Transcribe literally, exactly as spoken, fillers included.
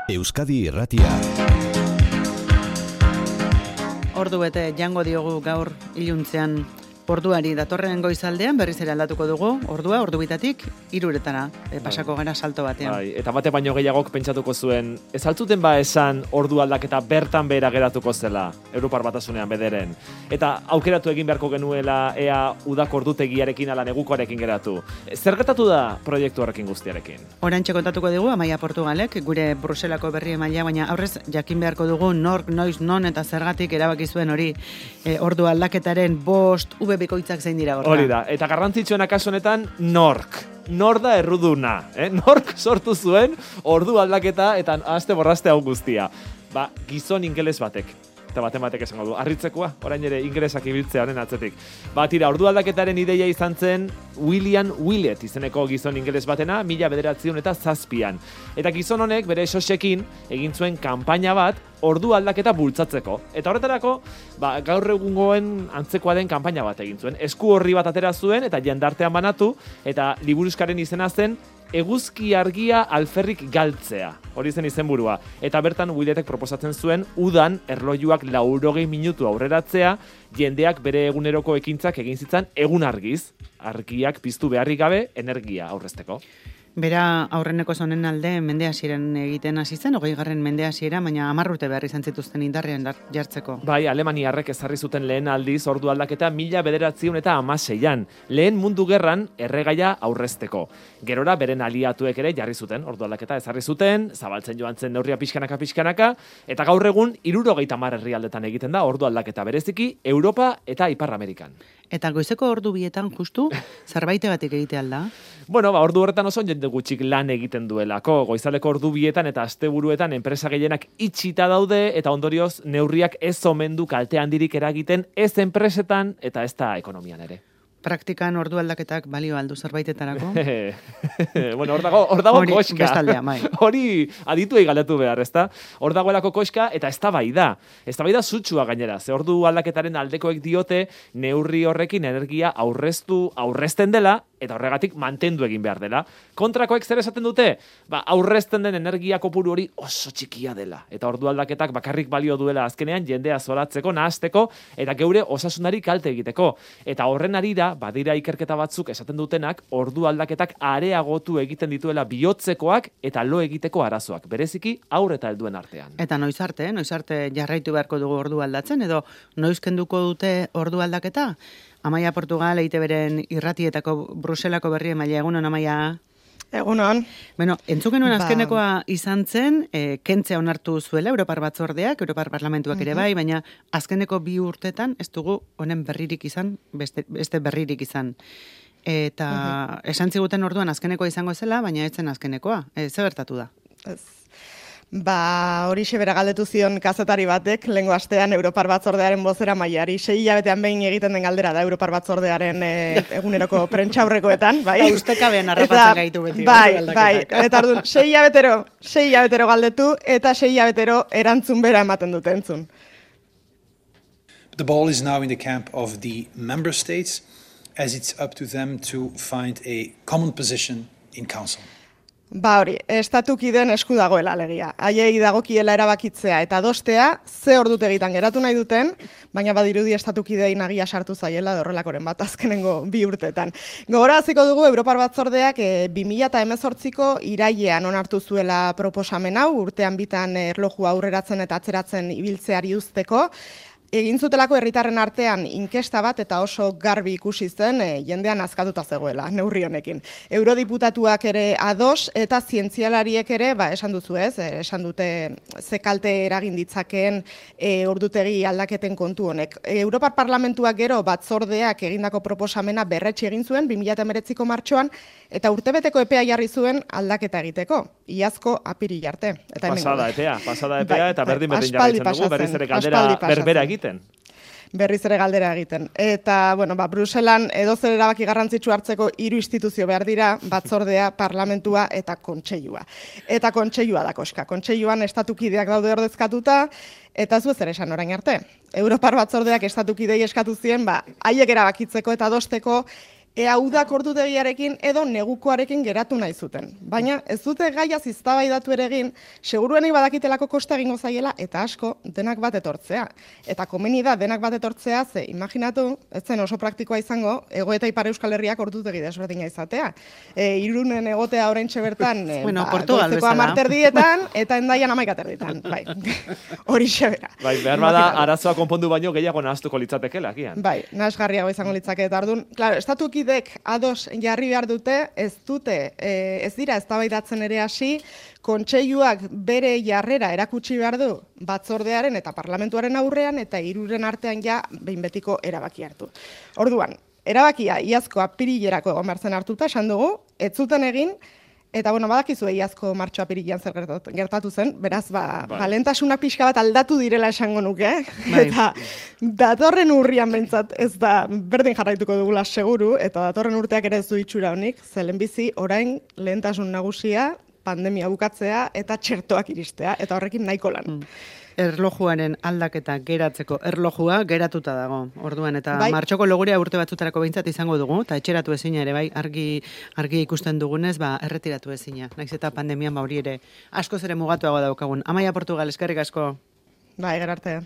Euskadi Irratia. Ordu bete jango diogu gaur iluntzean orduari datorren goizaldean berriz ere aldatuko dugu, ordua ordu bitatik hiruretara e, pasako gara salto batean. Bai, eta bate baino gehiagok pentsatuko zuen, ez altzuten ba esan ordu aldaketa bertan behera geratuko zela, Europar Batasunean bederen. Eta aukeratu egin beharko genuela ea udako ordutegiarekin ala negukoarekin geratu. Zer gertatu da proiektu horrekin guztiarekin? Oraintxe kontatuko dugu Amaia Portugalek, gure Bruselako berri emailea, baina aurrez jakin beharko dugu nork, noiz, non eta zergatik erabaki zuen hori e, ordu aldaketaren bost ube bikoitzak zein dira horra. Hori da, eta garrantzitsuena kasu honetan nork. Nor da erruduna, eh? Nork sortu zuen ordu aldaketa eta aste borraste hau guztia. Ba, gizon ingeles batek. Eta baten batek esango du, harritzekoa, orain ere ingelesak ibiltzea honen atzetik. Ba, tira, ordu aldaketaren ideia izan zen William Willett izeneko gizon ingeles batena, mila bederatziehun eta zazpian. Eta gizon honek bere sosekin egin zuen kanpaina bat ordu aldaketa bultzatzeko. Eta horretarako, ba, gaur egungoen antzekoa den kanpaina bat egin zuen. Esku horri bat atera zuen eta jendartean banatu, eta liburuskaren izena zen eguzki argia alferrik galtzea. Hori zen izenburua. Eta bertan Willettek proposatzen zuen udan erlojuak laurogei minutu aurreratzea, jendeak bere eguneroko ekintzak egin zitzan egun argiz. Argiak piztu beharrik gabe energia aurrezteko. Bera aurreneko zonen alde mende hasieran egiten hasi zen, hogei garren mende hasiera, baina hamar urte behar izan zituzten indarrean jartzeko. Bai, Alemaniarrek ezarri zuten lehen aldiz ordu aldaketa mila bederatziehun eta hamaseian. Lehen mundu gerran erregaia aurrezteko. Gerora beren aliatuek ere jarri zuten ordu aldaketa ezarri zuten, zabaltzen joan zen neurria pixkanaka pixkanaka, eta gaur egun hirurogeita hamar herrialdetan egiten da ordu aldaketa bereziki Europa eta Ipar Amerikan. Eta goizeko ordu bietan justu zerbaitegatik egite alda? Bueno, ba, ordu horretan oso jende gutxik lan egiten duelako. Goizaleko ordu bietan eta asteburuetan enpresa gehienak itxita daude eta ondorioz neurriak ez omen du kalte handirik eragiten ez enpresetan eta ez da ekonomian ere. Praktikan ordu aldaketak balio aldu zerbaitetarako? Bueno, hor dago, hor dago Hori, koxka. Bestaldea, bai. Hori adituei galdetu behar, ezta? Hor dagoelako koxka eta eztabaida. Eztabaida sutsua gainera. Ze ordu aldaketaren aldekoek diote neurri horrekin energia aurreztu, aurrezten dela eta horregatik mantendu egin behar dela. Kontrakoek zer esaten dute? Ba, aurrezten den energia kopuru hori oso txikia dela. Eta ordu aldaketak bakarrik balio duela azkenean jendea zoratzeko, nahasteko eta geure osasunari kalte egiteko. Eta horren arira, badira ikerketa batzuk esaten dutenak, ordu aldaketak areagotu egiten dituela bihotzekoak eta lo egiteko arazoak, bereziki haur eta helduen artean. Eta noiz arte, noiz arte jarraitu beharko dugu ordu aldatzen, edo noiz kenduko dute ordu aldaketa? Amaia Portugal, E I Te Beren irratietako Bruselako berri emailea, egunon Amaia? Egunon. Bueno, entzun genuen azkenekoa izan zen, e, kentzea onartu zuela Europar Batzordeak, Europar Parlamentuak ere bai, baina azkeneko bi urtetan ez dugu honen berririk izan, beste, beste berririk izan. Eta uh-huh. esan ziguten orduan azkenekoa izango zela, baina ez zen azkenekoa. E, ze gertatu da? Ez. Ba, hori bera galdetu zion kazetari batek, lehengo astean Europar Batzordearen bozera maiari, sei hilabetean behin egiten den galdera da Europar Batzordearen e, eguneroko prentxaurrekoetan, bai? Ba, ustekabean harrapatzen gaitu beti. Bai, bai, eta orduan, sei hilabetero, sei hilabetero galdetu, eta sei hilabetero erantzun bera ematen dute entzun. The ball is now in the camp of the member states, as it's up to them to find a common position in council. Ba hori, estatukideen esku dagoela alegia. Haiei dagokiela erabakitzea eta adostea ze ordutegitan geratu nahi duten, baina badirudi estatukidei nagia sartu zaiela horrelakoren bat azkenengo bi urtetan. Gogoraziko dugu Europar Batzordeak e, bi mila hemezortziko irailean onartu zuela proposamen hau, urtean bitan erlojua aurreratzen eta atzeratzen ibiltzeari uzteko. Egin zutelako herritarren artean inkesta bat eta oso garbi ikusi zen e, jendean azkatuta zegoela neurri honekin. Eurodiputatuak ere ados eta zientzialariek ere, ba, esan duzu ez, e, esan dute ze kalte eragin ditzakeen e, ordutegi aldaketen kontu honek. E, Europar Parlamentuak gero batzordeak egindako proposamena berretsi egin zuen bi mila hemeretziko martxoan eta urtebeteko epea jarri zuen aldaketa egiteko. Iazko apirila arte. Eta pasada epea, pasada epea bai, eta berdin berdin aspaldi jarraitzen dugu, berriz ere galdera berbera egiten. Berriz ere galdera egiten. Eta, bueno, ba, Bruselan edozer erabaki garrantzitsu hartzeko hiru instituzio behar dira, batzordea, parlamentua eta kontseilua. Eta kontseilua da koska. Kontseiluan estatukideak daude ordezkatuta, eta ez zer esan orain arte. Europar Batzordeak estatukidei eskatu zien, ba, haiek erabakitzeko eta adosteko ea udak ordutegiarekin edo negukoarekin geratu nahi zuten. Baina ez dute gaiaz eztabaidatu ere egin, seguruenik badakitelako kosta egingo zaiela eta asko denak bat etortzea. Eta komeni da denak bat etortzea, ze imaginatu, ez zen oso praktikoa izango, Hego eta Ipar Euskal Herriak ordutegi desberdina izatea. E, Irunen egotea oraintxe bertan, e, bueno, ba, Portugal goizeko hamar terdietan eta Hendaian hamaika terdietan. Bai, hori xebera. Bai, behar bada arazoa konpondu baino gehiago nahaztuko litzatekela, agian. Bai, nahasgarriago izango litzake eta ordun. Claro, estatukidek ados jarri behar dute, ez dute, e, ez dira eztabaidatzen ere hasi, kontseiluak bere jarrera erakutsi behar du batzordearen eta parlamentuaren aurrean eta hiruren artean ja behin betiko erabaki hartu. Orduan, erabakia iazko apirilerako egon behar zen hartuta, esan dugu, ez zuten egin, eta bueno, badakizu iazko martxo apirilean zer gertatu zen, beraz, ba, bai. balentasunak pixka bat aldatu direla esango nuke, Bai. eta datorren urrian behintzat ez da berdin jarraituko dugula seguru, eta datorren urteak ere ez du itxura honik, ze lehenbizi orain lehentasun nagusia, pandemia bukatzea eta txertoak iristea, eta horrekin nahiko lan. Mm. Erlojuaren aldaketa geratzeko erlojua geratuta dago. Orduan eta Bai. martxoko logurea urte batzutarako behintzat izango dugu, eta etxeratu ezina ere bai, argi argi ikusten dugunez, ba erretiratu ezina. Naiz eta pandemian ba hori ere askoz ere mugatuago daukagun. Amaia Portugal, eskerrik asko. Bai, gerarte.